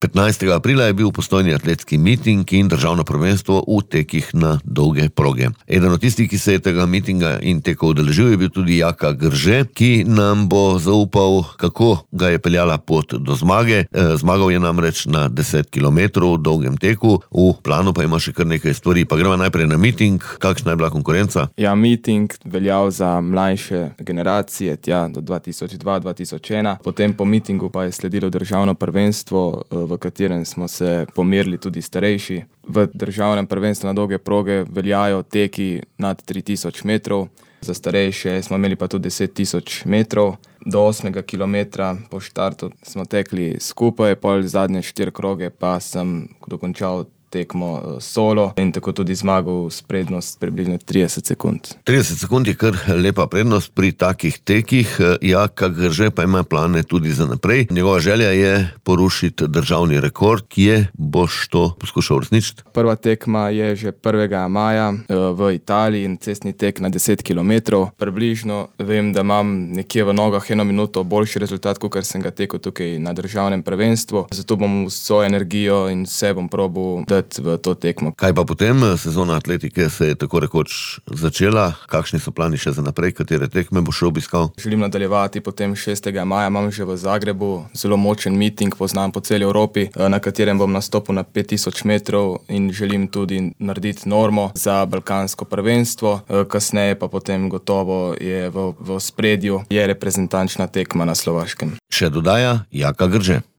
15. aprila je bil v Postojni atletski miting in državno prvenstvo v tekih na dolge proge. Eden od tistih, ki se je tega mitinga in tekov udeležil, je bil tudi Jaka Grže, ki nam bo zaupal, kako ga je peljala pot do zmage. Zmagal je namreč na 10 kilometrov dolgem teku, v planu pa ima še kar nekaj stvari. Pa gremo najprej na miting. Kakšna je bila konkurenca? Ja, miting veljal za mlajše generacije, do 2002-2001. Potem po mitingu pa je sledilo državno prvenstvo, v katerem smo se pomerili tudi starejši. V državnem prvenstvu na dolge proge veljajo teki nad 3000 metrov, za starejše smo imeli pa tudi 10 000 metrov. Do 8. kilometra po štartu smo tekli skupaj, pol zadnje 4 kroge pa sem dokončal tekmo solo in tako tudi zmagal s prednost približno 30 sekund. 30 sekund je kar lepa prednost pri takih tekih. Jaka Grže pa ima plane tudi za naprej. Njegova želja je porušiti državni rekord. Kje boš to poskušal uresničiti? Prva tekma je že 1. maja v Italiji in cestni tek na 10 kilometrov. Približno vem, da imam nekje v nogah 1 minuto boljši rezultat, kot sem ga tekel tukaj na državnem prvenstvu. Zato bom vso energijo in vse bom probal v to tekmo. Kaj pa potem? Sezona atletike se je tako rekoč začela. Kakšni so plani še za naprej? Katere tekme boš obiskal? Želim nadaljevati potem 6. maja. Imam že v Zagrebu zelo močen miting, poznam po celi Evropi, na katerem bom nastopil na 5000 metrov in želim tudi narediti normo za balkansko prvenstvo. Kasneje pa potem gotovo je v ospredju je reprezentančna tekma na Slovaškem. Še dodaja Jaka Grže.